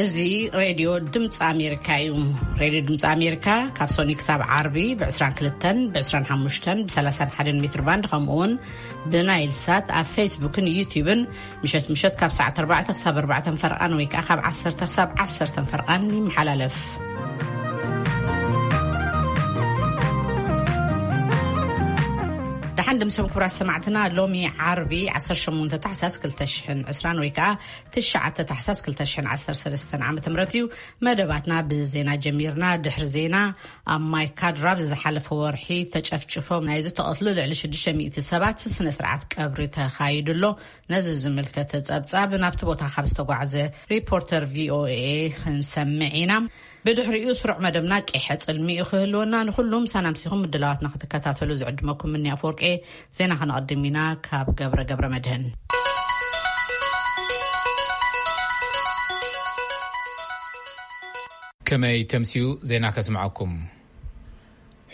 እዚ ሬድዮ ድምፂ ኣሜሪካ እዩ። ሬድዮ ድምፂ ኣሜሪካ ካብ ሶኒ ክሳብ ዓርቢ ብ22፣ ብ25፣ ብ31 ሜትር ባንድ፣ ከምኡ እውን ብናይል ሳት ኣብ ፌስቡክን ዩቲዩብን ምሸት ምሸት ካብ ሰዓት ኣርባዕተ ክሳብ ኣርባዕተ ፈርቓን ወይ ከዓ ካብ ዓሰርተ ክሳብ ዓሰርተ ፈርቓን ይመሓላለፍ። ደሓን ድምስም ክቡራት ሰማዕትና፣ ሎሚ ዓርቢ ዓሰርተ ሸሞንተ ታሕሳስ ክልተ ሽሕን ዕስራን ወይ ከዓ ትሽዓተ ታሕሳስ ክልተ ሽሕን ዓሰርተ ሰለስተን ዓመተ ምህረት እዩ። መደባትና ብዜና ጀሚርና። ድሕሪ ዜና፣ ኣብ ማይ ካድራ ብዝሓለፈ ወርሒ ተጨፍጭፎም ናይ ዝተቐትሉ ልዕሊ ሽዱሽተ ሚእቲ ሰባት ስነ ስርዓት ቀብሪ ተኻይዱ ኣሎ። ነዚ ዝምልከተ ጸብጻብ ናብቲ ቦታ ካብ ዝተጓዕዘ ሪፖርተር ቪኦኤ ክንሰምዕ ኢና። ብድሕሪኡ ስሩዕ መደብና ቂሐ ጽልሚ እዩ ክህልወና። ንኹሉም ሰናምሲኹም ምድላዋትና ክትከታተሉ ዝዕድመኩም ምኒ ኣፈወርቄ። ዜና ከነቐድም ኢና ካብ ገብረ ገብረ መድህን። ከመይ ተምስዩ ዜና ከስምዓኩም።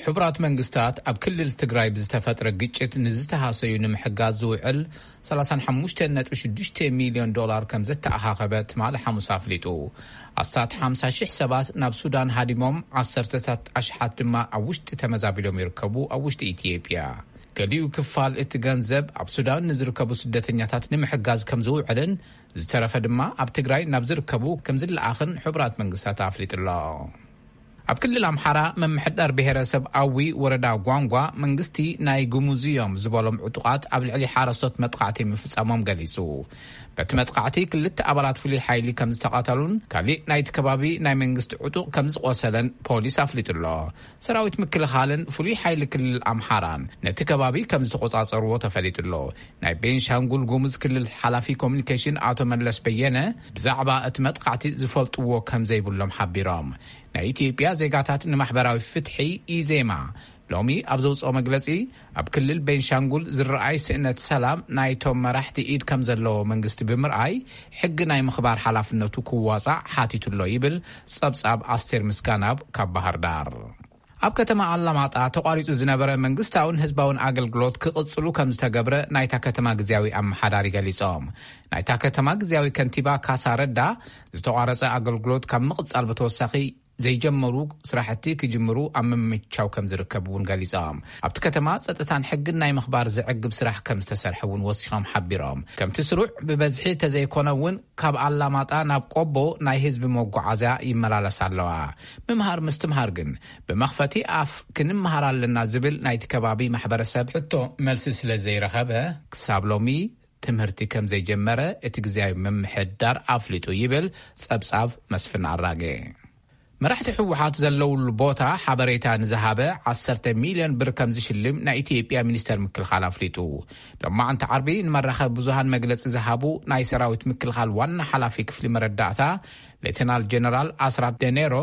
ሕቡራት መንግስታት ኣብ ክልል ትግራይ ብዝተፈጥረ ግጭት ንዝተሃሰዩ ንምሕጋዝ ዝውዕል ሰላሳን ሓሙሽተን ነጥቢ ሽዱሽተ ሚልዮን ዶላር ከም ዘተኣኻኸበ ትማሊ ሓሙስ ኣፍሊጡ። ኣስታት ሓምሳ ሽሕ ሰባት ናብ ሱዳን ሃዲሞም፣ ዓሰርተታት ኣሽሓት ድማ ኣብ ውሽጢ ተመዛቢሎም ይርከቡ። ኣብ ውሽጢ ኢትዮጵያ፣ ገሊኡ ክፋል እቲ ገንዘብ ኣብ ሱዳን ንዝርከቡ ስደተኛታት ንምሕጋዝ ከም ዝውዕልን ዝተረፈ ድማ ኣብ ትግራይ ናብ ዝርከቡ ከም ዝለኣኽን ሕቡራት መንግስታት ኣፍሊጡ ኣሎ። ኣብ ክልል ኣምሓራ፣ ምምሕዳር ብሄረሰብ ኣዊ ወረዳ ጓንጓ፣ መንግስቲ ናይ ጉሙዝ እዮም ዝበሎም ዕጡቓት ኣብ ልዕሊ ሓረስቶት መጥቃዕቲ ምፍጻሞም ገሊጹ። በቲ መጥቃዕቲ ክልተ ኣባላት ፍሉይ ሓይሊ ከም ዝተቐተሉን ካሊእ ናይቲ ከባቢ ናይ መንግስቲ ዕጡቕ ከም ዝቖሰለን ፖሊስ ኣፍሊጡ ኣሎ። ሰራዊት ምክልኻልን ፍሉይ ሓይሊ ክልል ኣምሓራን ነቲ ከባቢ ከም ዝተቖጻጸርዎ ተፈሊጡ ኣሎ። ናይ ቤንሻንጉል ጉሙዝ ክልል ሓላፊ ኮሚኒኬሽን ኣቶ መለስ በየነ ብዛዕባ እቲ መጥቃዕቲ ዝፈልጥዎ ከም ዘይብሎም ሓቢሮም። ናይ ኢትዮጵያ ዜጋታት ንማሕበራዊ ፍትሒ፣ ኢዜማ፣ ሎሚ ኣብ ዘውፅኦ መግለፂ፣ ኣብ ክልል ቤንሻንጉል ዝረኣይ ስእነት ሰላም ናይቶም መራሕቲ ኢድ ከም ዘለዎ መንግስቲ ብምርኣይ፣ ሕጊ ናይ ምኽባር ሓላፍነቱ ክዋፃዕ ሓቲቱ ኣሎ ይብል ፀብፃብ ኣስቴር ምስጋናብ ካብ ባህር ዳር። ኣብ ከተማ ኣላማጣ ተቋሪፁ ዝነበረ መንግስታውን ህዝባውን ኣገልግሎት ክቕፅሉ ከም ዝተገብረ ናይታ ከተማ ግዝያዊ ኣመሓዳሪ ገሊፆም። ናይታ ከተማ ግዝያዊ ከንቲባ ካሳ ረዳ፣ ዝተቋረፀ ኣገልግሎት ካብ ምቕፃል ብተወሳኺ ዘይጀመሩ ስራሕቲ ክጅምሩ ኣብ ምምቻው ከም ዝርከብ እውን ገሊፆም። ኣብቲ ከተማ ፀጥታን ሕግን ናይ ምኽባር ዘዕግብ ስራሕ ከም ዝተሰርሐ እውን ወሲኾም ሓቢሮም። ከምቲ ስሩዕ ብበዝሒ ተዘይኮነ እውን ካብ ኣላማጣ ናብ ቆቦ ናይ ህዝቢ መጓዓዝያ ይመላለስ ኣለዋ። ምምሃር ምስትምሃር ግን ብመኽፈቲ ኣፍ ክንምሃር ኣለና ዝብል ናይቲ ከባቢ ማሕበረሰብ ሕቶ መልሲ ስለ ዘይረኸበ፣ ክሳብ ሎሚ ትምህርቲ ከም ዘይጀመረ እቲ ግዝያዊ ምምሕዳር ኣፍሊጡ ይብል ጸብጻብ መስፍን ኣራጌ። መራሕቲ ህወሓት ዘለውሉ ቦታ ሓበሬታ ንዝሃበ ዓሰርተ ሚልዮን ብር ከም ዝሽልም ናይ ኢትዮጵያ ሚኒስተር ምክልኻል ኣፍሊጡ። ሎማዕንቲ ዓርቢ ንመራኸቢ ብዙሃን መግለጺ ዝሃቡ ናይ ሰራዊት ምክልኻል ዋና ሓላፊ ክፍሊ መረዳእታ ሌተናል ጀነራል ኣስራት ደኔሮ፣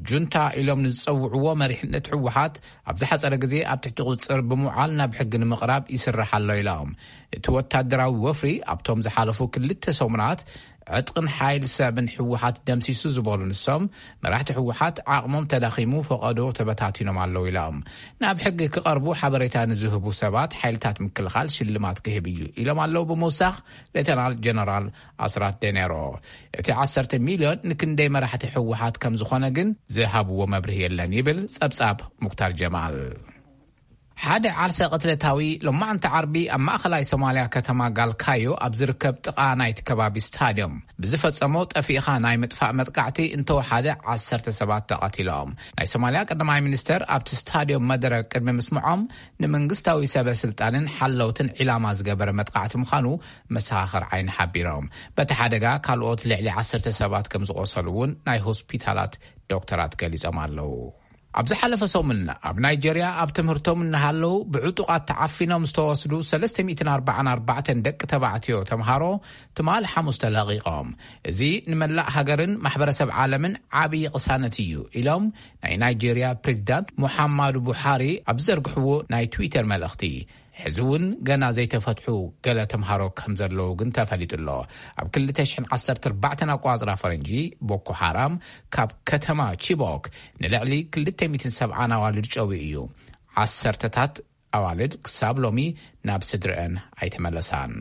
ጁንታ ኢሎም ንዝጸውዕዎ መሪሕነት ህወሓት ኣብ ዝሓጸረ ግዜ ኣብ ትሕቲ ቁጽጽር ብምውዓል ናብ ሕጊ ንምቕራብ ይስራሕ ኣሎ ኢሎም። እቲ ወታደራዊ ወፍሪ ኣብቶም ዝሓለፉ ክልተ ሰሙናት ዕጥቅን ሓይል ሰብን ህወሓት ደምሲሱ ዝበሉ ንሶም፣ መራሕቲ ህወሓት ዓቕሞም ተዳኺሙ ፈቐዶ ተበታቲኖም ኣለዉ ኢሎም። ናብ ሕጊ ክቐርቡ ሓበሬታ ንዝህቡ ሰባት ሓይልታት ምክልኻል ሽልማት ክህብ እዩ ኢሎም ኣለዉ ብምውሳኽ ሌተናል ጀነራል ኣስራት ደኔሮ። እቲ ዓሰርተ ሚልዮን ንክንደይ መራሕቲ ህወሓት ከም ዝኾነ ግን ዝሃብዎ መብርሂ የለን ይብል ጸብጻብ ሙክታር ጀማል። ሓደ ዓርሰ ቅትለታዊ ሎማዕንቲ ዓርቢ ኣብ ማእኸላይ ሶማልያ ከተማ ጋልካዮ ኣብ ዝርከብ ጥቓ ናይቲ ከባቢ ስታድዮም ብዝፈጸሞ ጠፊእኻ ናይ ምጥፋእ መጥቃዕቲ እንተወሓደ ዓሰርተ ሰባት ተቐቲሎም። ናይ ሶማልያ ቀዳማይ ሚኒስተር ኣብቲ ስታድዮም መደረ ቅድሚ ምስምዖም፣ ንመንግስታዊ ሰበ ስልጣንን ሓለውትን ዒላማ ዝገበረ መጥቃዕቲ ምዃኑ መሰኻኽር ዓይኒ ሓቢሮም። በቲ ሓደጋ ካልኦት ልዕሊ ዓሰርተ ሰባት ከም ዝቖሰሉ እውን ናይ ሆስፒታላት ዶክተራት ገሊጾም ኣለዉ። ኣብ ዝሓለፈ ሰሙን ኣብ ናይጀርያ ኣብ ትምህርቶም እናሃለዉ ብዕጡቓት ተዓፊኖም ዝተወስዱ ሰለስተ ሚእትን ኣርባዓን ኣርባዕተን ደቂ ተባዕትዮ ተምሃሮ ትማል ሓሙስ ተለቒቖም። እዚ ንመላእ ሃገርን ማሕበረሰብ ዓለምን ዓብዪ ቅሳነት እዩ ኢሎም ናይ ናይጀርያ ፕሬዚዳንት ሙሓማዱ ቡሓሪ ኣብ ዝዘርግሕዎ ናይ ትዊተር መልእኽቲ። ሕዚ እውን ገና ዘይተፈትሑ ገለ ተምሃሮ ከም ዘለዉ ግን ተፈሊጡ ኣሎ። ኣብ ክልተ ሽሕን ዓሰርተ ኣርባዕተን ኣቋጽራ ፈረንጂ፣ ቦኮ ሓራም ካብ ከተማ ቺቦክ ንልዕሊ ክልተ ሚእትን ሰብዓን ኣዋልድ ጨውዩ እዩ። ዓሰርተታት ኣዋልድ ክሳብ ሎሚ ናብ ስድረአን ኣይተመለሳን።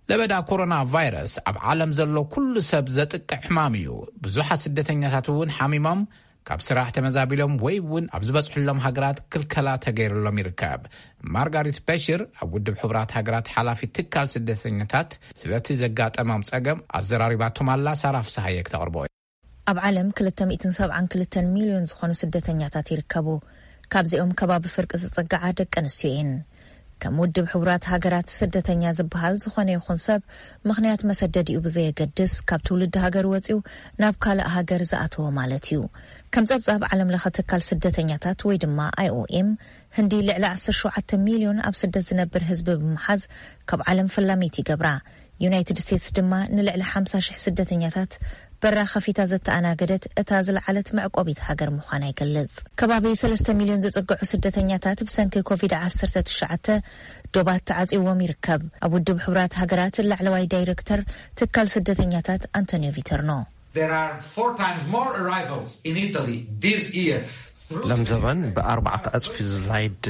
ለበዳ ኮሮና ቫይረስ ኣብ ዓለም ዘሎ ኩሉ ሰብ ዘጥቅዕ ሕማም እዩ። ብዙሓት ስደተኛታት እውን ሓሚሞም ካብ ስራሕ ተመዛቢሎም ወይ እውን ኣብ ዝበጽሕሎም ሃገራት ክልከላ ተገይሩሎም ይርከብ። ማርጋሪት በሽር፣ ኣብ ውድብ ሕቡራት ሃገራት ሓላፊ ትካል ስደተኛታት፣ ስለቲ ዘጋጠሞም ጸገም ኣዘራሪባቶም ኣላ። ሳራ ፍስሃየ ክተቕርቦ። ኣብ ዓለም ክልተ ሚእትን ሰብዓን ክልተን ሚልዮን ዝኾኑ ስደተኛታት ይርከቡ። ካብዚኦም ከባቢ ፍርቂ ዝጽግዓ ደቂ ኣንስትዮ እየን። ከም ውድብ ሕቡራት ሃገራት፣ ስደተኛ ዝበሃል ዝኾነ ይኹን ሰብ፣ ምኽንያት መሰደዲኡ ብዘየገድስ፣ ካብ ትውልዲ ሃገር ወጺኡ ናብ ካልእ ሃገር ዝኣተወ ማለት እዩ። ከም ጸብጻብ ዓለም ለኸ ትካል ስደተኛታት ወይ ድማ ኣይኦኤም፣ ህንዲ ልዕሊ ዓሰርተ ሸውዓተ ሚልዮን ኣብ ስደት ዝነብር ህዝቢ ብምሓዝ፣ ካብ ዓለም ፈላመይቲ ይገብራ። ዩናይትድ ስቴትስ ድማ ንልዕሊ ሓምሳ ሽሕ ስደተኛታት በራ ከፊታ ዘተኣናገደት እታ ዝለዓለት መዕቆቢት ሃገር ምዃና ይገልጽ። ከባቢ ሰለስተ ሚልዮን ዝጽግዑ ስደተኛታት ብሰንኪ ኮቪድ ዓሰርተ ትሽዓተ ዶባት ተዓጽይዎም ይርከብ። ኣብ ውድብ ሕቡራት ሃገራት ላዕለዋይ ዳይሬክተር ትካል ስደተኛታት ኣንቶኒዮ ቪተርኖ። There are four times more arrivals in Italy this year. ለምዘበን ብኣርባዕተ ዕጽፊ ዝዛይድ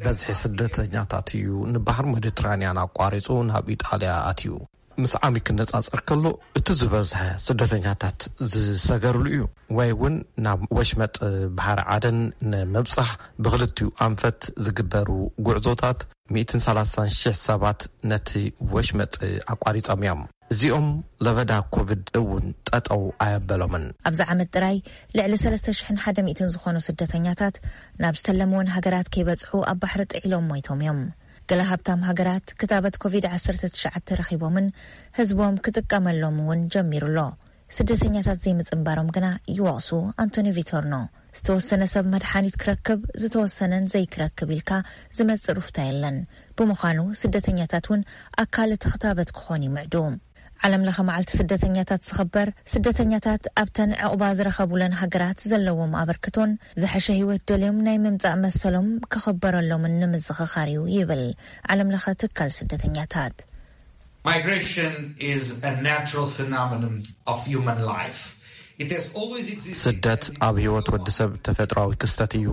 በዝሒ ስደተኛታት እዩ ንባህር ሜዲትራንያን ኣቋሪጹ ናብ ኢጣልያ ኣትዩ። ምስ ዓሚ ክነጻጸር ከሎ፣ እቲ ዝበዝሐ ስደተኛታት ዝሰገርሉ እዩ። ወይ እውን ናብ ወሽመጥ ባሕሪ ዓደን ንምብጻሕ ብኽልቲኡ ኣንፈት ዝግበሩ ጉዕዞታት፣ ሚእትን ሰላሳን ሽሕ ሰባት ነቲ ወሽመጥ ኣቋሪጾም እዮም። እዚኦም ለበዳ ኮቪድ እውን ጠጠው ኣየበሎምን። ኣብዚ ዓመት ጥራይ ልዕሊ ሰለስተ ሽሕን ሓደ ሚእትን ዝኾኑ ስደተኛታት ናብ ዝተለምወን ሃገራት ከይበጽሑ ኣብ ባሕሪ ጥዒሎም ሞይቶም እዮም። ገለ ሃብታም ሃገራት ክታበት ኮቪድ ዓሰርተ ትሽዓተ ረኺቦምን ህዝቦም ክጥቀመሎም እውን ጀሚሩ ኣሎ። ስደተኛታት ዘይምጽንባሮም ግና ይወቕሱ ኣንቶኒ ቪቶርኖ። ዝተወሰነ ሰብ መድሓኒት ክረክብ፣ ዝተወሰነን ዘይክረክብ ኢልካ ዝመጽእ ሩፍታ የለን። ብምዃኑ ስደተኛታት እውን ኣካል እቲ ክታበት ክኾኑ ይምዕዱ። ዓለም ለኸ መዓልቲ ስደተኛታት ዝኽበር፣ ስደተኛታት ኣብተን ዕቑባ ዝረኸቡለን ሃገራት ዘለዎም ኣበርክቶን ዝሐሸ ህይወት ደልዮም ናይ ምምጻእ መሰሎም ክኽበረሎምን ንምዝኽኻር እዩ ይብል ዓለም ለኸ ትካል ስደተኛታት። Migration is a natural phenomenon of human life. It has always existed. ስደት ኣብ ህይወት ወዲ ሰብ ተፈጥሯዊ ክስተት እዩ።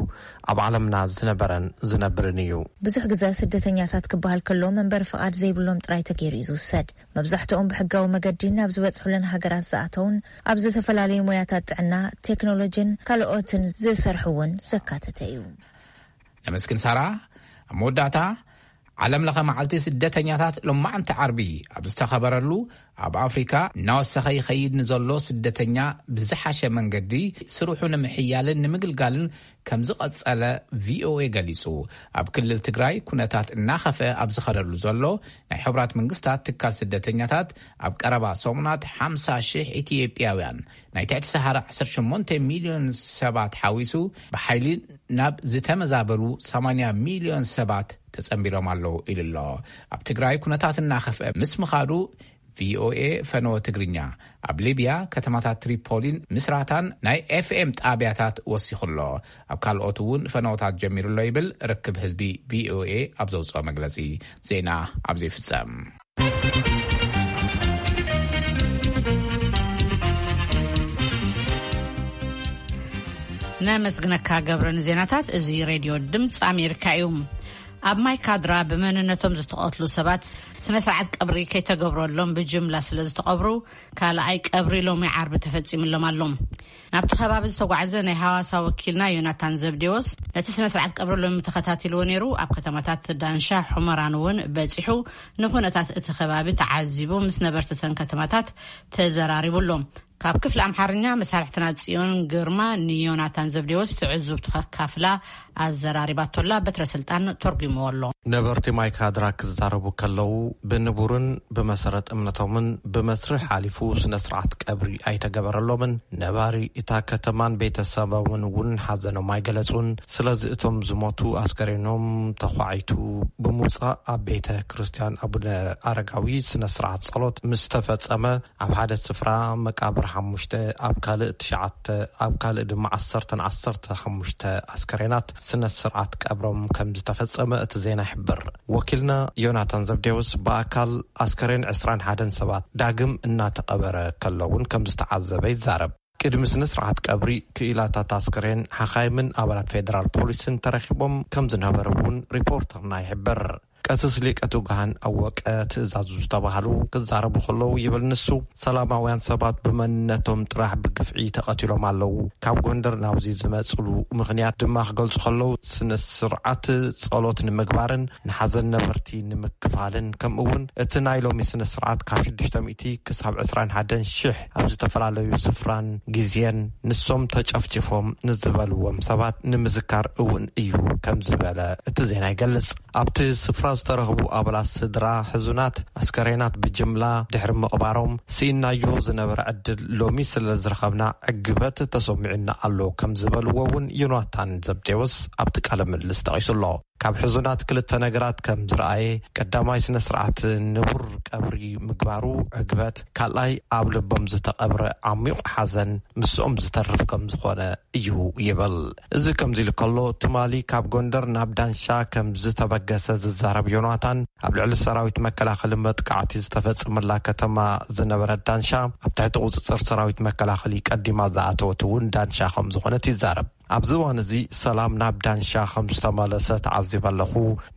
ኣብ ዓለምና ዝነበረን ዝነብርን እዩ። ብዙሕ ግዘ ስደተኛታት ክበሃል ከሎ መንበሪ ፍቓድ ዘይብሎም ጥራይ ተገይሩ እዩ ዝውሰድ። መብዛሕትኦም ብሕጋዊ መገዲ ናብ ዝበፅሑለን ሃገራት ዝኣተውን ኣብ ዝተፈላለዩ ሞያታት ጥዕና፣ ቴክኖሎጂን ካልኦትን ዝሰርሑ እውን ዘካተተ እዩ። ነመስግን ሳራ። ኣብ መወዳእታ፣ ዓለም ለኸ መዓልቲ ስደተኛታት ሎማዕንቲ ዓርቢ ኣብ ዝተኸበረሉ፣ ኣብ ኣፍሪካ እናወሰኸ ይኸይድ ንዘሎ ስደተኛ ብዝሓሸ መንገዲ ስርሑ ንምሕያልን ንምግልጋልን ከም ዝቐጸለ ቪኦኤ ገሊጹ። ኣብ ክልል ትግራይ ኩነታት እናኸፍአ ኣብ ዝኸደሉ ዘሎ፣ ናይ ሕቡራት መንግስታት ትካል ስደተኛታት ኣብ ቀረባ ሰሙናት ሓምሳ ሽሕ ኢትዮጵያውያን፣ ናይ ትሕቲ ሰሃራ ዓሰርተ ሸሞንተ ሚልዮን ሰባት ሓዊሱ፣ ብሓይሊ ናብ ዝተመዛበሉ ሰማንያ ሚልዮን ሰባት ተጸንቢሮም ኣለዉ ኢሉ ኣሎ። ኣብ ትግራይ ኩነታት እናኸፍአ ምስ ምኻዱ፣ ቪኦኤ ፈነወ ትግርኛ ኣብ ሊብያ ከተማታት ትሪፖሊን ምስራታን ናይ ኤፍኤም ጣብያታት ወሲኹ ኣሎ። ኣብ ካልኦት እውን ፈነወታት ጀሚሩ ኣሎ ይብል ርክብ ህዝቢ ቪኦኤ ኣብ ዘውፅኦ መግለፂ። ዜና ኣብዚ ይፍጸም። ነመስግነካ ገብረ ንዜናታት። እዚ ሬድዮ ድምፂ ኣሜሪካ እዩ። ኣብ ማይ ካድራ ብመንነቶም ዝተቐትሉ ሰባት ስነ ስርዓት ቀብሪ ከይተገብረሎም ብጅምላ ስለ ዝተቐብሩ፣ ካልኣይ ቀብሪ ሎሚ ዓርቢ ተፈጺምሎም ኣሎ። ናብቲ ከባቢ ዝተጓዕዘ ናይ ሃዋሳ ወኪልና ዮናታን ዘብዴዎስ፣ ነቲ ስነ ስርዓት ቀብሪ ሎሚ ተኸታቲልዎ ነይሩ። ኣብ ከተማታት ዳንሻ፣ ሑመራን እውን በጺሑ፣ ንኹነታት እቲ ከባቢ ተዓዚቡ፣ ምስ ነበርቲ እተን ከተማታት ተዘራሪቡ ኣሎ። ካብ ክፍሊ ኣምሓርኛ መሳርሕትና ጽዮን ግርማ ንዮናታን ዘብዴዎስ ትዕዝብቱ ከካፍላ ኣዘራሪባቶላ። በትረ ስልጣን ተርጉምዎ ኣሎ። ነበርቲ ማይ ካድራ ክዛረቡ ከለዉ፣ ብንቡርን ብመሰረት እምነቶምን ብመስርሕ ሓሊፉ ስነ ስርዓት ቀብሪ ኣይተገበረሎምን። ነባሪ እታ ከተማን ቤተሰቦምን እውን ሓዘኖም ኣይገለጹን። ስለዚ እቶም ዝሞቱ ኣስከሬኖም ተዃዒቱ ብምውጻእ፣ ኣብ ቤተ ክርስቲያን ኣቡነ ኣረጋዊ ስነ ስርዓት ጸሎት ምስ ተፈጸመ፣ ኣብ ሓደ ስፍራ መቃብር ሓሙሽተ፣ ኣብ ካልእ ትሽዓተ፣ ኣብ ካልእ ድማ ዓሰርተን ዓሰርተ ሓሙሽተ ኣስከሬናት ስነ ስርዓት ቀብሮም ከም ዝተፈጸመ እቲ ዜና ይሕብር። ወኪልና ዮናታን ዘብዴዎስ ብኣካል ኣስከሬን ዕስራን ሓደን ሰባት ዳግም እናተቐበረ ከሎ እውን ከም ዝተዓዘበ ይዛረብ። ቅድሚ ስነ ስርዓት ቀብሪ፣ ክኢላታት ኣስከሬን፣ ሓኻይምን ኣባላት ፌደራል ፖሊስን ተረኺቦም ከም ዝነበሩ እውን ሪፖርተርና ይሕብር። ቀስስ ሊቀ ትጉሃን ኣወቀ ትእዛዙ ዝተባህሉ ክዛረቡ ከለዉ ይብል ንሱ፣ ሰላማውያን ሰባት ብመንነቶም ጥራሕ ብግፍዒ ተቐቲሎም ኣለዉ። ካብ ጎንደር ናብዚ ዝመጽሉ ምኽንያት ድማ ክገልጹ ከለዉ፣ ስነ ስርዓት ጸሎት ንምግባርን ንሓዘን ነበርቲ ንምክፋልን፣ ከምኡ እውን እቲ ናይ ሎሚ ስነ ስርዓት ካብ ሽዱሽተ ሚእቲ ክሳብ ዕስራን ሓደን ሽሕ ኣብ ዝተፈላለዩ ስፍራን ግዜን ንሶም ተጨፍጭፎም ንዝበልዎም ሰባት ንምዝካር እውን እዩ ከም ዝበለ እቲ ዜና ይገልጽ። ኣብቲ ስፍራ ዝተረኽቡ ኣባላት ስድራ ሕዙናት፣ ኣስከሬናት ብጅምላ ድሕሪ ምቕባሮም፣ ስኢናዮ ዝነበረ ዕድል ሎሚ ስለ ዝረኸብና ዕግበት ተሰሚዑና ኣሎ ከም ዝበልዎ እውን ዮናታን ዘብዴዎስ ኣብቲ ቃለ ምልልስ ጠቒሱ ኣሎ። ካብ ሕዙናት ክልተ ነገራት ከም ዝረኣየ፣ ቀዳማይ ስነ ስርዓት ንቡር ቀብሪ ምግባሩ ዕግበት፣ ካልኣይ ኣብ ልቦም ዝተቐብረ ዓሚቕ ሓዘን ምስኦም ዝተርፍ ከም ዝኾነ እዩ ይብል። እዚ ከምዚ ኢሉ ከሎ፣ ትማሊ ካብ ጎንደር ናብ ዳንሻ ከም ዝተበገሰ ዝዛረብ ዮናታን፣ ኣብ ልዕሊ ሰራዊት መከላኸሊ መጥቃዕቲ ዝተፈጸመላ ከተማ ዝነበረት ዳንሻ፣ ኣብ ትሕቲ ቁጽጽር ሰራዊት መከላኸሊ ቀዲማ ዝኣተወት እውን ዳንሻ ከም ዝኾነት ይዛረብ። ኣብዚ እዋን እዚ ሰላም ናብ ዳንሻ ከም ዝተመለሰ ተዓዚበ ኣለኹ።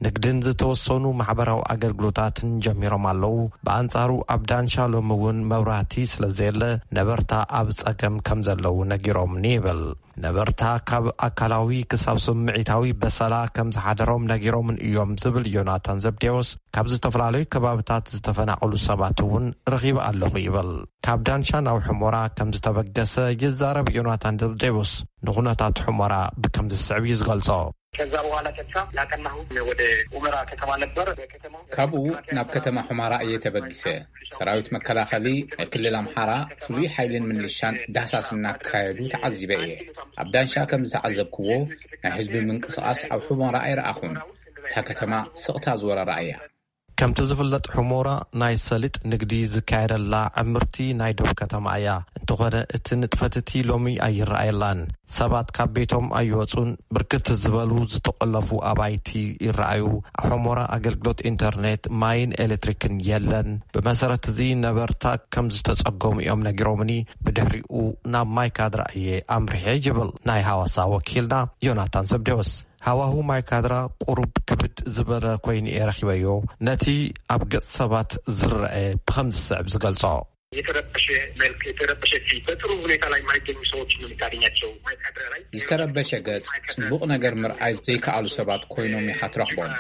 ንግድን ዝተወሰኑ ማሕበራዊ ኣገልግሎታትን ጀሚሮም ኣለዉ። ብኣንጻሩ ኣብ ዳንሻ ሎሚ እውን መብራህቲ ስለ ዘየለ ነበርታ ኣብ ጸገም ከም ዘለዉ ነጊሮምኒ ይብል። ነበርታ ካብ ኣካላዊ ክሳብ ስምዒታዊ በሰላ ከም ዝሓደሮም ነጊሮምን እዮም ዝብል ዮናታን ዘብዴዎስ፣ ካብ ዝተፈላለዩ ከባብታት ዝተፈናቐሉ ሰባት እውን ረኺበ ኣለኹ ይብል። ካብ ዳንሻ ናብ ሑሞራ ከም ዝተበገሰ ይዛረብ ዮናታን ዘብዴዎስ፣ ንኹነታት ሑሞራ ብከም ዝስዕብ እዩ ዝገልጾ። ከዛ በኋላ ቀጥታ ያቀናሁ ወደ ኡመራ ከተማ ነበር። ከተማ ካብኡ ናብ ከተማ ሑመራ እየ ተበጊሰ። ሰራዊት መከላኸሊ ናይ ክልል ኣምሓራ ፍሉይ ሓይልን ምልሻን ዳህሳስ እናካየዱ ተዓዚበ እየ። ኣብ ዳንሻ ከም ዝተዓዘብክዎ ናይ ህዝቢ ምንቅስቓስ ኣብ ሑመራ ኣይረኣኹን። እታ ከተማ ስቕታ ዝወረራ እያ። ከምቲ ዝፍለጥ፣ ሑሞራ ናይ ሰሊጥ ንግዲ ዝካየደላ ዕምርቲ ናይ ዶብ ከተማ እያ። እንተኾነ፣ እቲ ንጥፈት እቲ ሎሚ ኣይረኣየላን። ሰባት ካብ ቤቶም ኣይወጹን። ብርክት ዝበሉ ዝተቖለፉ ኣባይቲ ይረኣዩ። ኣብ ሑሞራ ኣገልግሎት ኢንተርኔት፣ ማይን ኤሌክትሪክን የለን። ብመሰረት እዚ ነበርታ ከም ዝተጸገሙ እዮም ነጊሮምኒ። ብድሕሪኡ ናብ ማይ ካድራ እየ ኣምሪሐ ይብል ናይ ሃዋሳ ወኪልና ዮናታን ዘብዴዎስ። ሃዋሁ ማይ ካድራ ቁሩብ ክብድ ዝበለ ኮይኑ እየ ረኺበዮ። ነቲ ኣብ ገጽ ሰባት ዝረአ ብኸም ዝስዕብ ዝገልጾ። የተረበሸ መልክ፣ የተረበሸ ፊት፣ በጥሩ ሁኔታ ላይ የማይገኙ ሰዎች ነው የምታገኛቸው። ማይ ካድራ ላይ ዝተረበሸ ገጽ፣ ጽቡቕ ነገር ምርኣይ ዘይከኣሉ ሰባት ኮይኖም ኢኻ ትረኽቦም።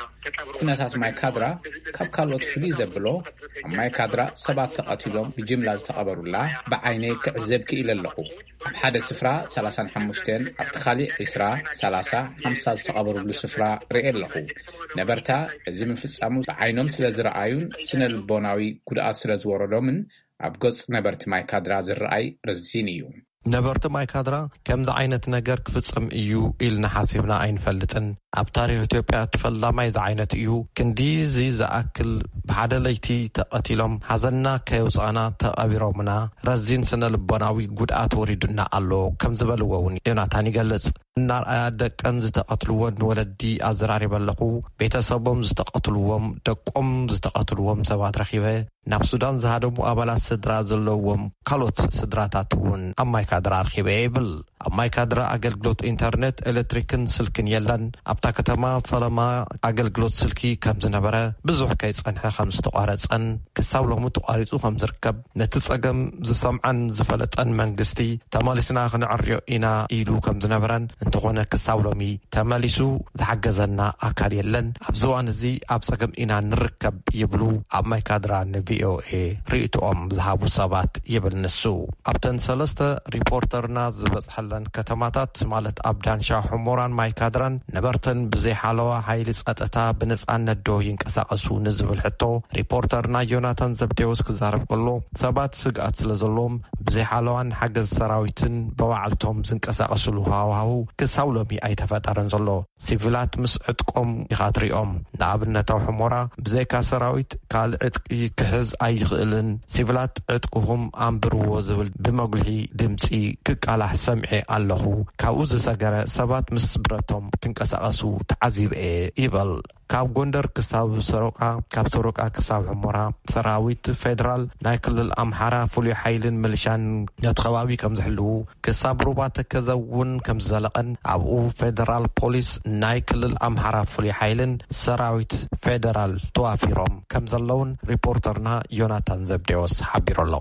ኩነታት ማይ ካድራ ካብ ካልኦት ፍልይ ዘብሎ፣ ኣብ ማይ ካድራ ሰባት ተቐቲሎም ብጅምላ ዝተቐበሩላ ብዓይነይ ክዕዘብ ክኢለ ኣለኹ። ኣብ ሓደ ስፍራ ሰላሳን ሓሙሽተን፣ ኣብቲ ካሊእ ዒስራ፣ ሰላሳ፣ ሓምሳ ዝተቐበሩሉ ስፍራ ርእየ ኣለኹ። ነበርታ እዚ ምፍጻሙ ብዓይኖም ስለ ዝረኣዩን ስነ ልቦናዊ ጉድኣት ስለ ዝወረዶምን ኣብ ገጽ ነበርቲ ማይ ካድራ ዝረኣይ ረዚን እዩ። ነበርቲ ማይ ካድራ ከምዚ ዓይነት ነገር ክፍጽም እዩ ኢልና ሓሲብና ኣይንፈልጥን። ኣብ ታሪኽ ኢትዮጵያ እቲ ፈላማይ ዝዓይነቱ እዩ። ክንዲዚ ዝኣክል ብሓደ ለይቲ ተቐቲሎም፣ ሓዘንና ከየውጻእና ተቐቢሮምና፣ ረዚን ስነ ልቦናዊ ጉድኣት ወሪዱና ኣሎ ከም ዝበልዎ እውን ዮናታን ይገልጽ። እናርኣያ ደቀን ዝተቐትልወን ወለዲ ኣዘራሪበ ኣለኹ። ቤተሰቦም ዝተቐትልዎም፣ ደቆም ዝተቐትልዎም ሰባት ረኺበ። ናብ ሱዳን ዝሃደሙ ኣባላት ስድራ ዘለዎም ካልኦት ስድራታት እውን ኣብ ማይ ካድራ ኣርኪበ ይብል። ኣብ ማይ ካድራ ኣገልግሎት ኢንተርኔት፣ ኤሌክትሪክን ስልክን የለን። ኣብታ ከተማ ፈለማ ኣገልግሎት ስልኪ ከም ዝነበረ፣ ብዙሕ ከይጸንሐ ከም ዝተቋረጸን ክሳብ ሎሚ ተቋሪጹ ከም ዝርከብ፣ ነቲ ጸገም ዝሰምዓን ዝፈለጠን መንግስቲ ተመሊስና ክንዕርዮ ኢና ኢሉ ከም ዝነበረን፣ እንተኾነ ክሳብ ሎሚ ተመሊሱ ዝሓገዘና ኣካል የለን። ኣብዚ እዋን እዚ ኣብ ጸገም ኢና ንርከብ ይብሉ ኣብ ማይ ካድራ ንቪኦኤ ርእይቶኦም ዝሃቡ ሰባት ይብል ንሱ። ኣብተን ሰለስተ ሪፖርተርና ዝበጽሐለን ከተማታት ማለት ኣብ ዳንሻ፣ ሑሞራን ማይ ካድራን ነበርተን ብዘይ ሓለዋ ሓይሊ ጸጥታ ብነጻነት ዶ ይንቀሳቐሱ ንዝብል ሕቶ ሪፖርተርና ዮናታን ዘብዴዎስ ክዛረብ ከሎ ሰባት ስግኣት ስለ ዘለዎም ብዘይ ሓለዋን ሓገዝ ሰራዊትን ብባዕልቶም ዝንቀሳቐስሉ ሃዋህው ክሳብ ሎሚ ኣይተፈጠረን ዘሎ። ሲቪላት ምስ ዕጥቆም ኢኻ ትሪኦም። ንኣብነት ኣብ ሑሞራ ብዘይካ ሰራዊት ካልእ ዕጥቂ ክሕዝ ኣይኽእልን። ሲቪላት ዕጥቅኹም ኣንብርዎ ዝብል ብመጉልሒ ድምፂ ክቃላሕ ሰምዔ ኣለኹ። ካብኡ ዝሰገረ ሰባት ምስ ብረቶም ክንቀሳቐሱ ተዓዚበ እየ ይበል። ካብ ጎንደር ክሳብ ሰሮቃ፣ ካብ ሰሮቃ ክሳብ ሑመራ ሰራዊት ፌደራል፣ ናይ ክልል ኣምሓራ ፍሉይ ሓይልን ምልሻን ነቲ ከባቢ ከም ዝሕልዉ፣ ክሳብ ሩባ ተከዘ እውን ከም ዝዘለቐን ኣብኡ ፌደራል ፖሊስ፣ ናይ ክልል ኣምሓራ ፍሉይ ሓይልን ሰራዊት ፌደራል ተዋፊሮም ከም ዘለውን ሪፖርተርና ዮናታን ዘብዴዎስ ሓቢሩ ኣሎ።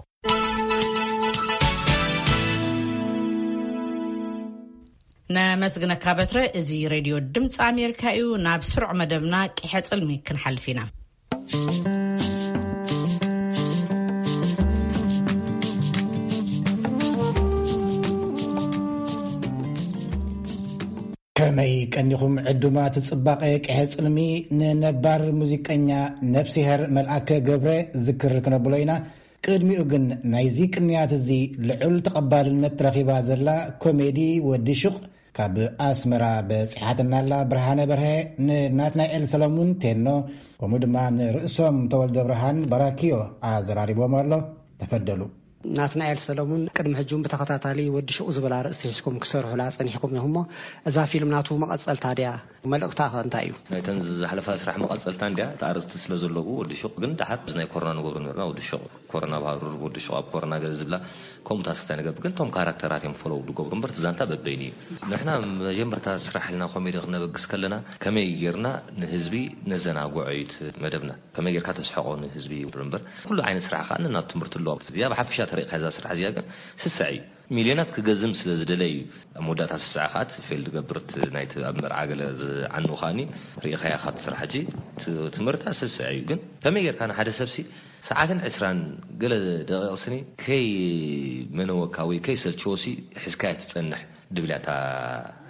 ነመስግነካ በትረ። እዚ ሬድዮ ድምፂ ኣሜሪካ እዩ። ናብ ስሩዕ መደብና ቂሐ ፅልሚ ክንሓልፍ ኢና። ከመይ ቀኒኹም ዕዱማት ጽባቐ ቅሐ ጽልሚ። ንነባር ሙዚቀኛ ነብስሄር መልኣከ ገብረ ዝክር ክነብሎ ኢና። ቅድሚኡ ግን ናይዚ ቅንያት እዚ ልዑል ተቐባልነት ረኺባ ዘላ ኮሜዲ ወዲ ሹቕ ካብ ኣስመራ በጺሓትና ኣላ። ብርሃነ በርሀ ንናትናኤል ሰለሙን ቴኖ፣ ከምኡ ድማ ንርእሶም ተወልደ ብርሃን ባራኪዮ ኣዘራሪቦም ኣሎ። ተፈደሉ። ናትናኤል ሰለሙን ቅድሚ ሕጂ እውን ብተኸታታሊ ወዲ ሹቕ ዝብል ኣርእስቲ ሒዝኩም ክሰርሑላ ጸኒሕኩም ኢኹም እሞ፣ እዛ ፊልም ናቱ መቐጸልታ ድያ? መልእኽታ ኸ እንታይ እዩ? ናይተን ዝሓለፋ ስራሕ መቐጸልታ እንድያ። እቲ ኣርእስቲ ስለ ዘለዎ ወዲ ሹቕ ግን ደሓር እዚ ናይ ኮሮና ንገብሮ ነበርና። ወዲ ሹቕ ኮሮና ኣብ ሃሩር፣ ወዲ ሹቕ ኣብ ኮሮና ገለ ዝብላ ከምኡታት ክስታይ ንገብር። ግን እቶም ካራክተራት እዮም ፎሎው ዝገብሩ እምበር እቲ ዛንታ በበይኑ እዩ። ንሕና መጀመርታ ስራሕ ኢልና ኮሜዲ ክነበግስ ከለና ከመይ ጌርና ንህዝቢ ነዘናግዖ እዩ እቲ መደብና። ከመይ ጌርካ ተስሕቖ ንህዝቢ እዩ እምበር፣ ኩሉ ዓይነት ስራሕ ከኣ ነናቱ ትምህርቲ ኣለዎ። እዚኣ ብሓፈሻ ተሪእካ እዛ ስራሕ እዚኣ ግን ስስዕ እዩ። ሚልዮናት ክገዝም ስለ ዝደለ እዩ ኣብ መወዳእታ ስስዕ ከኣ እቲ ፌል ዝገብር እቲ ናይቲ ኣብ መርዓ ገለ ዝዓኑ ከኣኒ ርኢኻያ ኢኻ እቲ ስራሕ። ሕጂ ት-፣ ትምህርታ ስስዕ እዩ። ግን ከመይ ጌርካ ንሓደ ሰብሲ ሰዓትን ዕስራን ገለ ደቂቕ ስኒ ከይ መነወካ ወይ ከይ ሰልችዎሲ ሒዝካያ ትጸንሕ ድብል እያ እታ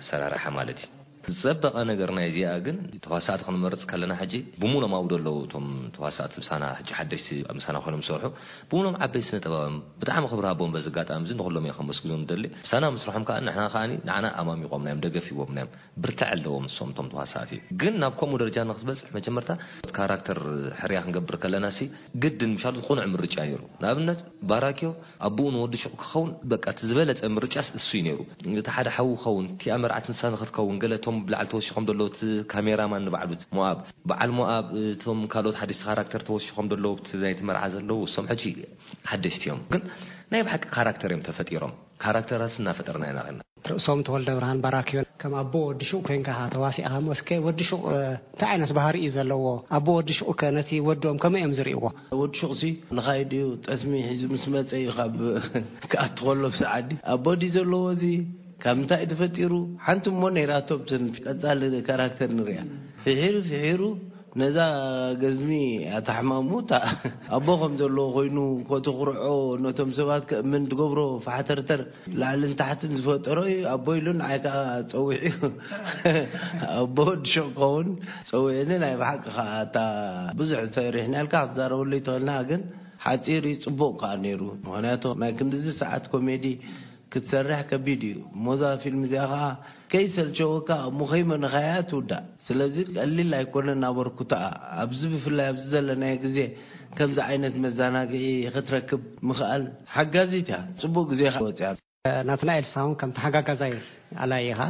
ኣሰራርሓ ማለት እዩ። ዝጸበቐ ነገር ናይ እዚኣ ግን ተዋሳእቲ ክንመርጽ ከለና ሕጂ ብሙሎም ኣብኡ ዘለዉ እቶም ተዋሳእቲ ምሳና ሕጂ ሓደሽቲ ምሳና ኮይኖም ዝሰርሑ ብሙሎም ዓበይቲ ስነ ጥበባውያን ብጣዕሚ ክብሪ ሃቦም በዚ ኣጋጣሚ እዚ ንኹሎም እየ ከመስግኖም ዝደሊ። ምሳና ምስርሖም ከኣ ንሕና ከኣ ንዓና ኣማሚቖምና እዮም፣ ደገፍ ሂቦምና እዮም። ብርትዐ ኣለዎም ንሶም እቶም ተዋሳእቲ። ግን ናብ ከምኡ ደረጃ ንክትበጽሕ መጀመርታ ካራክተር ሕርያ ክንገብር ከለና ሲ ግድን ምሻሉ ቁኑዕ ምርጫ ነይሩ። ንኣብነት ባራኪዮ ኣቦኡ ንወዲ ሹቕ ክኸውን በቃ እቲ ዝበለጸ ምርጫስ እሱ እዩ ነይሩ። እቲ ሓደ ሓው ክኸውን፣ እቲኣ መርዓት ንሳ ንክትከውን፣ ገለ እቶም ብላዕሊ ተወሲኾም ዘለዉ እቲ ካሜራማን ንባዕሉ እቲ ሞኣብ፣ በዓል ሞኣብ፣ እቶም ካልኦት ሓደሽቲ ካራክተር ተወሲኾም ዘለዉ እቲ ናይቲ መርዓ ዘለዉ እሶም ሕጂ ሓደሽቲ እዮም። ግን ናይ ብሓቂ ካራክተር እዮም ተፈጢሮም። ካራክተራት እናፈጠርና ኢና ኸና። ርእሶም ተወልደ ብርሃን ባራክዮን ከም ኣቦ ወዲ ሹቕ ኮይንካ ኢኻ ተዋሲእኻ እሞ እስከ ወዲ ሹቕ እንታይ ዓይነት ባህሪ እዩ ዘለዎ? ኣቦ ወዲ ሹቕ ከ ነቲ ወዶም ከመይ እዮም ዝርእይዎ? ወዲ ሹቕ ሲ ንኻይድ እዩ፣ ጠስሚ ሒዙ ምስ መጸ እዩ ካብ ክኣቱ ከሎ ብሰዓዲ ኣቦ ድዩ ዘለዎ እዚ ካብ ምንታይ እዩ ተፈጢሩ? ሓንቲ እሞ ነይራቶ ብትን ቀጻሊ ካራክተር ንሪኣ። ፍሒሩ ፍሒሩ ነዛ ገዝሚ ኣታሕማሙ እታ ኣቦ ከም ዘለዎ ኮይኑ ኮትኹርዖ ነቶም ሰባት ከእምን ትገብሮ ፋሕተርተር ላዕልን ታሕትን ዝፈጠሮ እዩ ኣቦ ኢሉ ንዓይ ከዓ ፀዊዑ ኣቦ ወዲ ሹቕ ክኸውን ፀዊዕኒ ናይ ብሓቂ ከዓ እታ ብዙሕ ሰሪሕና ኢልካ ክትዛረበሉ ይትኽእልና ግን ሓፂር እዩ ፅቡቕ ከዓ ነይሩ ምክንያቱ ናይ ክንድዚ ሰዓት ኮሜዲ ክትሰርሕ ከቢድ እዩ እሞ እዛ ፊልም እዚኣ ከዓ ከይሰልቸወካ እሞ ከይመነኻያ ትውዳእ ስለዚ ቀሊል ኣይኮነን ኣበርኩታኣ ኣብዚ ብፍላይ ኣብዚ ዘለናዮ ግዜ ከምዚ ዓይነት መዘናግዒ ክትረክብ ምኽኣል ሓጋዚት እያ ፅቡቅ ግዜ ወፅያ ናትናኤል ሳውን ከም ተሓጋጋዛይ ኣላይ ኢኻ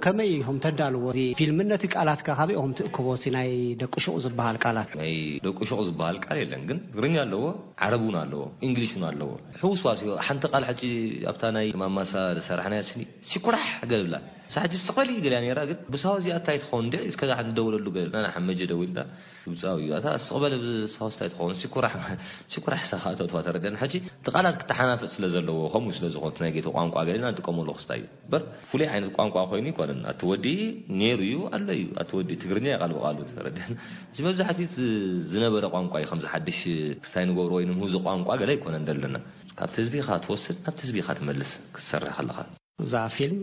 ከመይ ኢኹም ተዳልዎ እዚ ፊልም ነቲ ቃላት ከ ካበይ ኢኹም ትእክቦ እቲ ናይ ደቂ ሹቕ ዝበሃል ቃላት ናይ ደቂ ሹቕ ዝበሃል ቃል የለን ግን ትግርኛ ኣለዎ ዓረብ እውን ኣለዎ እንግሊሽ እውን ኣለዎ ሕውስዋስ እዩ ሓንቲ ቃል ሕጂ ኣብታ ናይ ማማሳ ዝሰራሕናያ ስኒ ሲኩራሕ ገለ ብላ ሳሕጂ ስቕበሊ ገሊያ ነይራ ግን ብሳዋ እዚኣ እንታይ ትኸውን እንደ እስከዛ ሓንቲ ደውለሉ ገለ ናና ሓመጀ ደዊልና ግብፃዊ እዩ ኣታ ስቕበሊ ብሳዋ እንታይ ትኸውን ሲኩራሕ ሲኩራሕ ሳኻ ተትዋ ተረደን ሕጂ እቲ ቃላት ክተሓናፈፅ ስለ ዘለዎ ከምኡ ስለ ዝኾነ ናይ ጌቶ ቋንቋ ገሊና ንጥቀመሉ ክስታይ እዩ በር ፍሉይ ዓይነት ቋንቋ ኮይኑ ይኮነን ኣቲ ወዲ ነይሩ እዩ ኣሎ እዩ ኣቲ ወዲ ትግርኛ እዩ ቃል ብቃሉ ተረደን እዚ መብዛሕትኡ ዝነበረ ቋንቋ እዩ ከምዚ ሓድሽ ክስታይ ንገብሮ ወይ ንምህዞ ቋንቋ ገለ ኣይኮነን ዘለና ካብቲ ህዝቢ ኢኻ ትወስድ ናብቲ ህዝቢ ኢኻ ትመልስ ክትሰርሕ ከለኻ እዛ ፊልም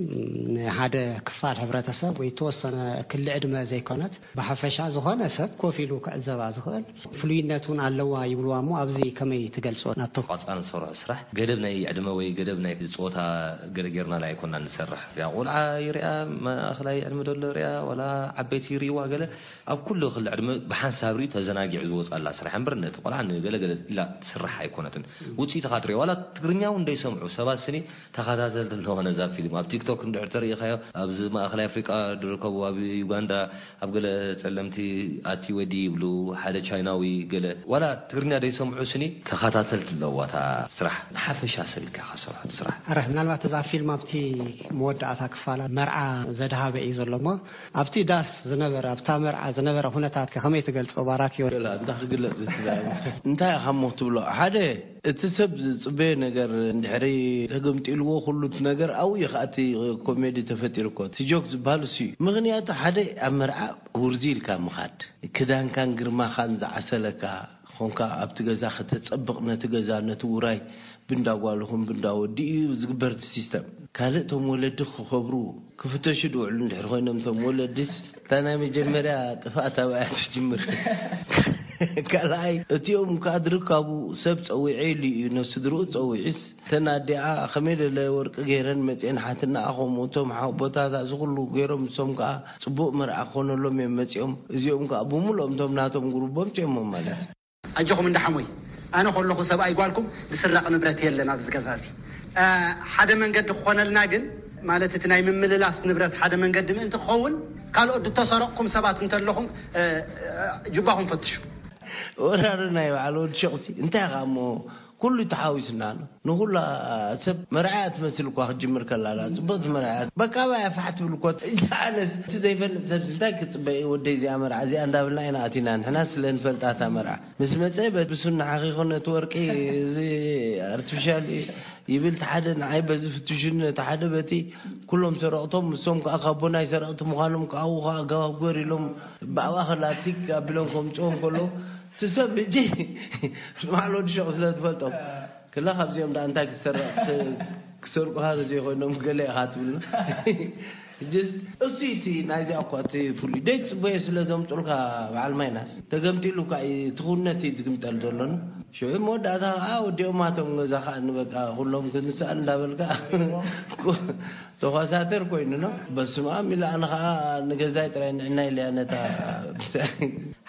ንሓደ ክፋል ሕብረተሰብ ወይ ተወሰነ ክሊ ዕድመ ዘይኮነት ብሓፈሻ ዝኾነ ሰብ ኮፍ ኢሉ ክዕዘባ ዝኽእል ፍሉይነት እውን ኣለዋ ይብልዋ እሞ ኣብዚ ከመይ ትገልፅዎ ናትኩም? ቆፃ ንሰርሖ ስራሕ ገደብ ናይ ዕድመ ወይ ገደብ ናይ ፆታ ገለ ጌርናላ ኣይኮና ንሰርሕ ያ ቆልዓ ይሪኣ ማእኸላይ ዕድመ ዘሎ ሪኣ ዋላ ዓበይቲ ይሪእዋ ገለ ኣብ ኩሉ ክሊ ዕድመ ብሓንሳብ ሪኡ ተዘናጊዑ ዝወፅኣላ ስራሕ እምበር ነቲ ቆልዓ ንገለገለ ኢላ ትስራሕ ኣይኮነትን ውፅኢትኻ ትሪኦ ዋላ ትግርኛ እውን እንደይሰምዑ ሰባት ስኒ ተኸታተልቲ ኣለዎ ነዛ ፊልም ኣብ ቲክቶክ እንድሕር ተርእኻዮ፣ ኣብዚ ማእኸላይ ኣፍሪቃ ዝርከቡ፣ ኣብ ዩጋንዳ፣ ኣብ ገለ ጸለምቲ ኣቲ ወዲ ይብሉ፣ ሓደ ቻይናዊ፣ ገለ ዋላ ትግርኛ ዘይሰምዑ ስኒ ተኸታተልቲ ኣለዋ እታ ስራሕ። ንሓፈሻ ሰብ ኢልካ ኢኻ ዝሰርሖ እቲ ስራሕ። ኣረ፣ ምናልባት እዛ ፊልም ኣብቲ መወዳእታ ክፋላ መርዓ ዘድሃበ እዩ ዘሎ እሞ፣ ኣብቲ ዳስ ዝነበረ፣ ኣብታ መርዓ ዝነበረ ኩነታት ከመይ ትገልጾ ባራክዮ? ገለ እንታይ ክግለጽ ዝትዛረብ? እንታይ ኢኻ እሞ ትብሎ? ሓደ፣ እቲ ሰብ ዝጽበዮ ነገር እንድሕሪ ተገምጢልዎ፣ ኩሉ እቲ ነገር ኣብኡ እዩ ከኣ እቲ ኮሜዲ ተፈጢሩ እኮ። እቲ ጆክ ዝበሃል እሱ እዩ። ምኽንያቱ ሓደ ኣብ መርዓ ውርዚ ኢልካ ምኻድ፣ ክዳንካን ግርማኻን ዝዓሰለካ ኾንካ ኣብቲ ገዛ ከተጸብቕ ነቲ ገዛ ነቲ ውራይ ብንዳ ጓልኹም ብንዳ ወዲ እዩ ዝግበር እቲ ሲስተም። ካልእ እቶም ወለዲ ክኸብሩ ክፍተሹ ድውዕሉ እንድሕር ኮይኖም እቶም ወለድስ እታ ናይ መጀመርያ ጥፍኣት ኣብኣ ትጅምር። ካልኣይ እቲኦም ከዓ ድርካቡ ሰብ ጸዊዐ ኢሉ እዩ ነስድርኡ ጸዊዑስ እተን ኣዲኣ ከመይ ደለ ወርቂ ገይረን መፅኤን ሓትናኣ ከምኡ እቶም ሓቦታት እዚ ኩሉ ገይሮም ንሶም ከዓ ፅቡቅ መርዓ ክኾነሎም እዮም መፂኦም። እዚኦም ከዓ ብምሉኦም እቶም ናቶም ጉሩቦም ፅኦሞም ማለት እዩ። ኣጆኹም እንዳ ሓሞይ፣ ኣነ ከለኹ ሰብኣይ ጓልኩም ዝስረቕ ንብረት የለን ኣብዚ ገዛ እዚ። እ፣ ሓደ መንገዲ ክኾነልና ግን፣ ማለት እቲ ናይ ምምልላስ ንብረት ሓደ መንገዲ ምእንቲ ክኸውን፣ ካልኦት ዝተሰረቕኩም ሰባት እንተለኹም፣ እ፣ እ፣ ጅባኹም ፈትሹ። ወራሪ ናይ በዓል ወዲ ሸቕሲ እንታይ ኢኻ እሞ ኩሉ ተሓዊስና ኣሎ። ንኹላ ሰብ መርዓያ ትመስል እኳ ክትጅምር ከላ፣ እላ ጽብቕቲ መርዓያ። በቃ ባያ ፋሕ ትብል እኮ። ኣነስ እቲ ዘይፈልጥ ሰብሲ እንታይ ክጽበ እዩ? ወደይ እዚኣ መርዓ እዚኣ እንዳብልና ኢና ኣቲና። ንሕና ስለ ንፈልጣ እታ መርዓ። ምስ መጸ በቲ ብሱና ሓኺኹ ነቲ ወርቂ እዚ ኣርቲፊሻል እዩ ይብል እቲ ሓደ፣ ንዓይ በዚ ፍትሹኒ ነቲ ሓደ በቲ። ኩሎም ሰረቕቶም፣ ንሶም ከኣ ካቦ ናይ ሰረቕቲ ምዃኖም ከኣ ኣብኡ ከኣ ኣገባብ ግበር ኢሎም ብኣባ ከላቲክ ኣቢሎም ከምጽኦም ከሎ፣ እቲ ሰብ ሕጂ ንባዕሉ ወዲ ሸቕ ስለ ዝፈልጦም፣ ክላ ካብዚኦም ደኣ እንታይ ክሰርቕ፣ ክሰርቁኻ ተዘይኮይኖም ገለ ኢኻ ትብልና። ሕጅስ እሱ እቲ ናይዚኣ እኳ እቲ ፍሉይ ደይ ጽበዮ ስለ ዘምጹልካ በዓል ማይናስ፣ ተገምጢሉ እኳ እዩ፣ እቲ ኩነት እዩ ዝግምጠል ዘሎና። ሽዑ መወዳእታ ከዓ ወዲኦማቶም ገዛ ከዓ ንበቃ ኩሎም ክንስኣል እንዳበልካ ተኳሳተር ኮይኑ ነው። በስመ ኣብ ኢለ ኣነ ከዓ ንገዛይ ጥራይ ንዕና ኢለያ ነታ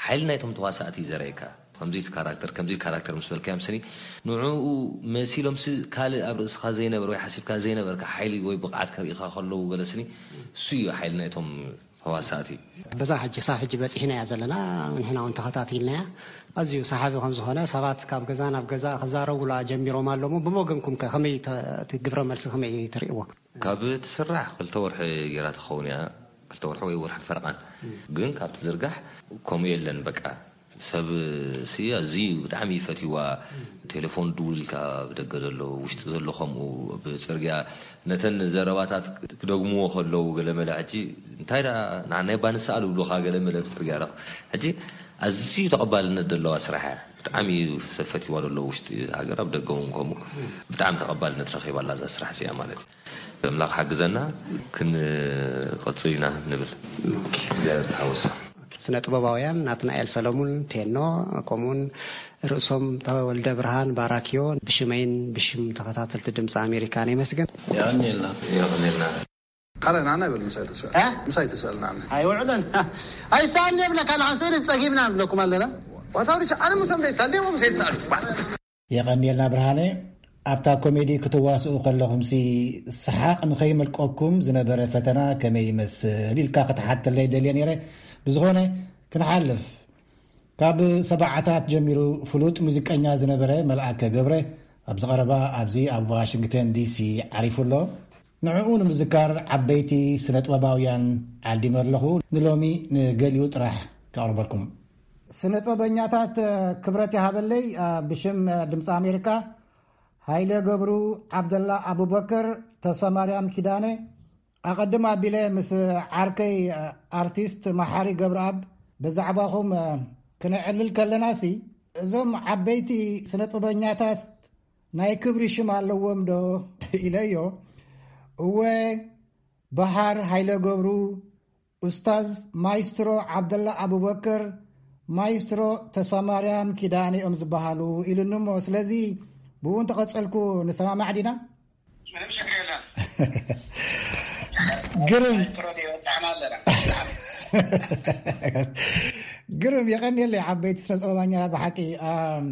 ሓይሊ ናይቶም ተዋሳእቲ ዘርእየካ። ከምዚ ካራክተር፣ ከምዚ ካራክተር ምስ በልካዮም ስኒ፣ ንዕኡ መሲሎምሲ ካልእ ኣብ ርእስኻ ዘይነበር ወይ ሓሲብካ ዘይነበርካ ሓይሊ ወይ ብቕዓት ከርእኻ ከለዉ ገለ ስኒ፣ እሱ እዩ ሓይሊ ናይቶም ተዋሳእቲ። በዛ ሕጂ ሳብ ሕጂ በጺሕናያ ዘለና፣ ንሕና እውን ተኸታቲልናያ። ኣዝዩ ሰሓቢ ከም ዝኾነ፣ ሰባት ካብ ገዛ ናብ ገዛ ክዛረቡላ ጀሚሮም ኣለዉ። ብወገንኩም ከ ከመይ ተ-፣ እቲ ግብረ መልሲ ከመይ ትርእይዎ? ካብ ትስራሕ ክልተ ወርሒ ገይራ ትኸውን እያ። ክልተ ወርሒ ወይ ወርሒ ፈረቓን። ግን ካብ ትዝርጋሕ ከምኡ የለን በቃ። ሰብ ሲ ኣዝዩ ብጣዕሚ እዩ ፈትይዋ። ቴሌፎን ድውል ኢልካ ብደገ ዘሎ፣ ውሽጢ ዘሎ ከምኡ፣ ብጽርግያ ነተን ዘረባታት ክደግምዎ ከለዉ ገለ መለ ሕጂ እንታይ ደኣ ንዓናይ ባ ንስኣል ይብሉኻ ገለ መለ ብጽርግያ ረኽ-፣ ሕጂ ኣዝዩ ተቐባልነት ዘለዋ ስራሕ እያ። ብጣዕሚ እዩ ሰብ ፈትይዋ ዘሎ ውሽጢ ሃገር፣ ኣብ ደገ እውን ከምኡ ብጣዕሚ ተቐባልነት ረኺባ ኣላ እዛ ስራሕ እዚኣ ማለት እዩ። ኣምላኽ ሓግዘና ክንቐጽል ኢና ንብል። እግዚኣብሔር ተሓወሶ። ስነ ጥበባውያን ናትናኤል ሰለሙን ቴኖ፣ ከምኡውን ርእሶም ተወልደ ብርሃን ባራኪዮ፣ ብሽመይን ብሽም ተኸታተልቲ ድምፂ ኣሜሪካን የመስግን። የቐንየልና። የቐንየልና። ካልእ ንዓና ይበል፣ ምሳይ ተስኣል። እ? ምሳይ ተስኣል ንዓና። ኣይውዕለን። ኣይሰኣልን የብለካ፣ ንዓ ስእሊ ጸጊብና ንብለኩም ኣለና። ዋታውሪ ኣነ ምሶም ደይሳል ደሞ ምሳይ ተስኣል። የቐንየልና ብርሃነ። ኣብታ ኮሜዲ ክትዋስኡ ከለኹምሲ ሰሓቕ ንኸይመልቀኩም ዝነበረ ፈተና ከመይ ይመስል ኢልካ ክትሓተለይ ደልየ ነይረ። ብዝኾነ ክንሓልፍ፣ ካብ ሰብዓታት ጀሚሩ ፍሉጥ ሙዚቀኛ ዝነበረ መልኣከ ገብረ ኣብዚ ቀረባ ኣብዚ ኣብ ዋሽንግተን ዲሲ ዓሪፉ ኣሎ። ንዕኡ ንምዝካር ዓበይቲ ስነ ጥበባውያን ዓዲመ ኣለኹ። ንሎሚ ንገሊኡ ጥራሕ ከቕርበልኩም። ስነ ጥበበኛታት ክብረት ይሃበለይ፣ ብሽም ድምፂ ኣሜሪካ፣ ሃይለ ገብሩ፣ ዓብደላ ኣቡበከር፣ ተስፋ ማርያም ኪዳነ፣ ኣቐድም ኣቢለ ምስ ዓርከይ ኣርቲስት መሓሪ ገብረኣብ ብዛዕባኹም ክነዕልል ከለናሲ፣ እዞም ዓበይቲ ስነ ጥበበኛታት ናይ ክብሪ ሽም ኣለዎም ዶ ኢለዮ። እወ፣ በሃር ሃይለ ገብሩ፣ ኡስታዝ ማይስትሮ ዓብደላ ኣቡበከር፣ ማይስትሮ ተስፋ ማርያም ኪዳነ እዮም ዝበሃሉ ኢሉኒ እሞ፣ ስለዚ ብኡ እንተቐጸልኩ ንሰማማዕ ዲና? ምንም ችግር የለን። ግርም። ማይስትሮ ዲዮ ጻዕና ኣለና። ግርም፣ የቐንየለይ ዓበይቲ ስነ ጥበባኛታት ብሓቂ። ኣም፣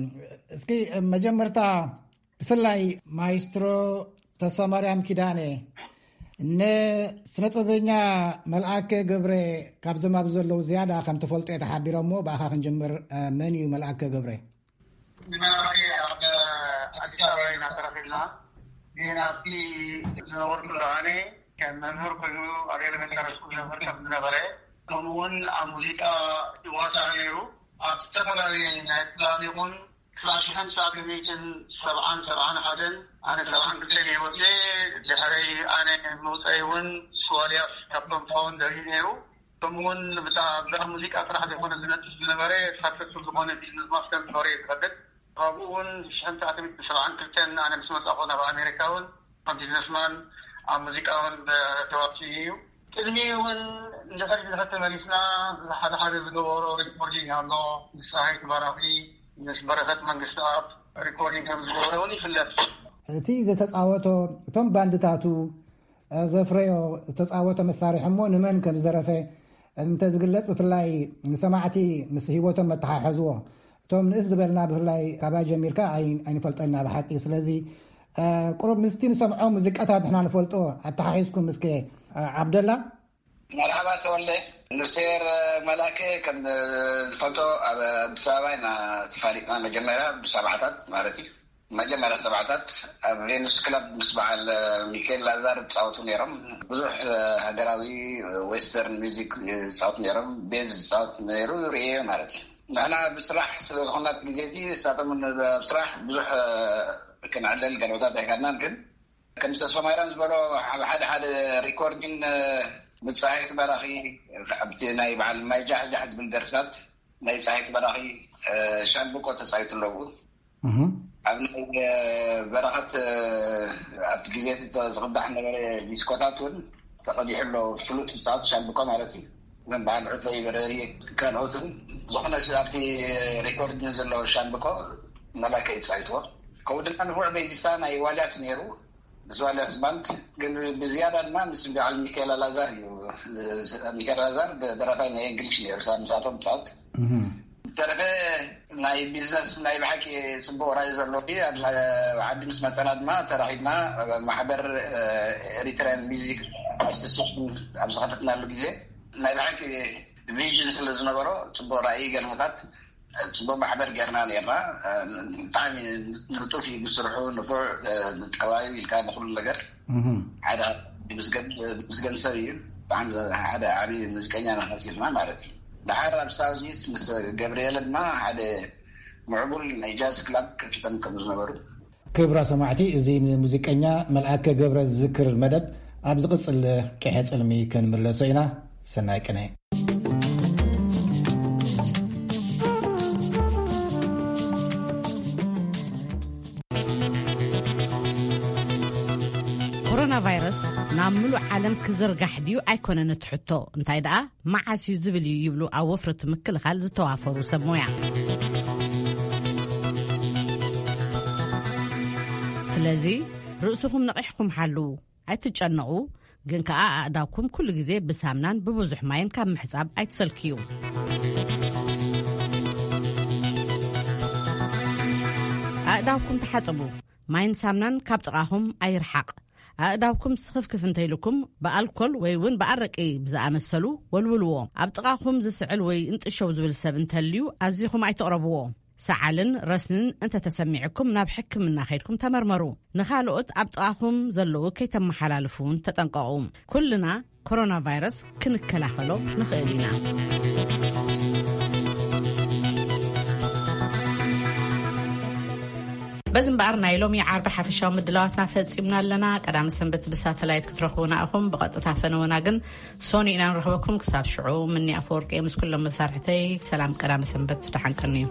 እስኪ መጀመርታ ብፍላይ ማይስትሮ ተስፋ ማርያም ኪዳነ፣ ንስነ ጥበበኛ መልኣከ ገብረ ካብዞም ኣብዚ ዘለዉ ዝያዳ ከም ትፈልጦ እየ ተሓቢሮሞ። ብኣኻ ክንጅምር። መን እዩ መልኣከ ገብረ? ንመራሒ ኣብ ኣዲስ ኣበባ ኢና ተረኺብና። ግን ኣብቲ ዝነበርኩ ኣነ ከም መምህር ኮይኑ ኣብ ኤሌመንታሪ ስኩል መምህር ከም ዝነበረ፣ ከምኡ እውን ኣብ ሙዚቃ ይዋሳእ ነይሩ። ኣብ ዝተፈላለየ ናይ ፕላን ይኹን ክላሽ ሓምሳ ሚእትን ሰብዓን ሰብዓን ሓደን ኣነ ሰብዓን ክልተን እየ ወፅየ። ድሕረይ ኣነ መውፀኢ እውን ስዋልያስ ካብቶም ፋውንደር እዩ ነይሩ። ከምኡ እውን ብታ ኣብዛ ሙዚቃ ጥራሕ ዘይኮነ ዝነጥፍ ዝነበረ ሳክሰስፉል ዝኾነ ቢዝነስ ማስተር ዝነበረ እየ ዝፈልጥ። ካብኡ እውን ሽሕን ትሽዓተ ሚእትን ሰብዓን ክልተን ኣነ ምስ መጻኹ ናብ ኣሜሪካ እውን ከም ቢዝነስማን ኣብ ሙዚቃ እውን ተዋሲኡ እዩ። ቅድሚ እውን እንድሕር ድሕር ተመሊስና ሓደ ሓደ ዝገበሮ ሪኮርዲንግ ኣሎ። ምስ ፀሃይቱ ባራኺ፣ ምስ በረኸት መንግስትኣብ ሪኮርዲንግ ከም ዝገበረ እውን ይፍለጥ። እቲ ዝተፃወቶ፣ እቶም ባንድታቱ ዘፍረዮ ዝተፃወቶ መሳርሒ እሞ ንመን ከም ዝደረፈ እንተ ዝግለጽ፣ ብፍላይ ንሰማዕቲ ምስ ህይወቶም መተሓሕዝዎ። እቶም ንእስ ዝበልና ብፍላይ ካባይ ጀሚርካ ኣይ-፣ ኣይንፈልጦ ኢና ብሓቂ። ስለዚ ቁሩብ ምስቲ ንሰምዖ ሙዚቃታት ንሕና ንፈልጦ ኣተሓሒዝኩም እስከ። ዓብደላ። መርሓባ ተወለ። ንሴር መላከ ከም ዝፈልጦ ኣብ ኣዲስ ኣበባ ኢና ተፋሊጥና፣ መጀመርያ ብሰብዓታት ማለት እዩ። መጀመርያ ሰብዓታት ኣብ ቬኑስ ክለብ ምስ በዓል ሚካኤል ላዛር ዝፃወቱ ነይሮም። ብዙሕ ሃገራዊ ዌስተርን ሚዚክ ዝፃወቱ ነይሮም። ቤዝ ዝፃወት ነይሩ ርእየ ማለት እዩ። ንሕና ብስራሕ ስለ ዝኾና እቲ ግዜ እቲ ንሳቶም ኣብ ስራሕ ብዙሕ ክንዕለል ገለቦታት ኣይካድናን። ግን ከም ተስፋ ማይራም ዝበሎ ኣብ ሓደ ሓደ ሪኮርዲን ምጻሒት በራኺ ኣብቲ ናይ በዓል ማይ ጃሕጃሕ ዝብል ደርፍታት ናይ ጻሒት በራኺ ሻምብቆ ተጻይቱ ኣለዉ። ኣብ ናይ በረኸት ኣብቲ ግዜ እቲ ዝቕዳሕ ነበረ ዲስኮታት እውን ተቐዲሑ ኣሎ። ፍሉጥ ብጻወት ሻምብቆ ማለት እዩ። ከም በዓል ዕፈይ በረሪ ካልኦትን ዝኾነ ኣብቲ ሬኮርድ ዘሎ ሻምብቆ መላከ ይጻይትዎ። ከምኡ ድማ ንፉዕ ቤዚስታ ናይ ዋልያስ ነይሩ። ምስ ዋልያስ ባንድ ግን ብዝያዳ ድማ ምስ በዓል ሚካኤል ኣላዛር እዩ። ሚካኤል ኣላዛር ደራፋይ ናይ እንግሊሽ ነይሩ። ሳብ ምሳቶም ብጻወት ተረፈ ናይ ቢዝነስ ናይ ብሓቂ ጽቡቕ ራእይ ዘለዎ እዩ። ኣብ ዓዲ ምስ መጸና ድማ ተራኺብና ማሕበር ኤሪትራያን ሚዚክ ኣሶሲሽን ኣብ ዝኸፈትናሉ ግዜ ናይ ብሓቂ ቪዥን ስለ ዝነበሮ ጽቡቕ ራእይ ገለመታት ጽቡቕ ማሕበር ጌርና ነርና። ብጣዕሚ ንጡፍ እዩ ብስርሑ፣ ንፉዕ፣ ንጠባዩ ኢልካ ንኩሉ ነገር ሓደ ምስገን ሰብ እዩ። ብጣዕሚ ሓደ ዓብዪ ሙዚቀኛ ኢና ከሲርና ማለት እዩ። ደሓር ኣብ ሳውዚስ ምስ ገብርኤለ ድማ ሓደ ምዕቡል ናይ ጃዝ ክላብ ከፊቶም ከም ዝነበሩ። ክብራ ሰማዕቲ፣ እዚ ንሙዚቀኛ መልኣከ ገብረ ዝዝክር መደብ ኣብ ዝቕጽል ቅሐ ጽልሚ ክንምለሶ ኢና። ሰናይ ቅነ። ኮሮና ቫይረስ ናብ ምሉእ ዓለም ክዝርጋሕ ድዩ ኣይኮነን እቲ ሕቶ፣ እንታይ ደኣ መዓስ እዩ ዝብል እዩ ይብሉ ኣብ ወፍሪ እቲ ምክልኻል ዝተዋፈሩ ሰብ ሞያ። ስለዚ ርእስኹም ነቒሕኩም ሓልዉ፣ ኣይትጨነቑ። ግን ከኣ ኣእዳውኩም ኩሉ ግዜ ብሳምናን ብብዙሕ ማይን ካብ ምሕጻብ ኣይትሰልክዩ። ኣእዳውኩም ተሓጽቡ። ማይን ሳምናን ካብ ጥቓኹም ኣይርሓቕ። ኣእዳውኩም ስኽፍክፍ እንተይልኩም ብኣልኮል ወይ እውን ብኣረቂ ብዝኣመሰሉ ወልውልዎ። ኣብ ጥቓኹም ዝስዕል ወይ እንጥሸው ዝብል ሰብ እንተልዩ ኣዚኹም ኣይትቕረብዎ። ሰዓልን ረስንን እንተተሰሚዕኩም ናብ ሕክምና ከይድኩም ተመርመሩ። ንኻልኦት ኣብ ጥቓኹም ዘለዉ ከይተመሓላልፉ እውን ተጠንቀቑ። ኩልና ኮሮና ቫይረስ ክንከላኸሎ ንኽእል ኢና። በዚ እምበኣር ናይ ሎሚ ዓርቢ ሓፈሻዊ ምድላዋትና ፈጺምና ኣለና። ቀዳሚ ሰንበት ብሳተላይት ክትረኽቡና ኢኹም። ብቐጥታ ፈነወና ግን ሶኒ ኢና ንረኽበኩም። ክሳብ ሽዑ ምኒ ኣፈወርቂ ምስ ኩሎም መሳርሕተይ ሰላም ቀዳሚ ሰንበት ደሓን ቀንዩ።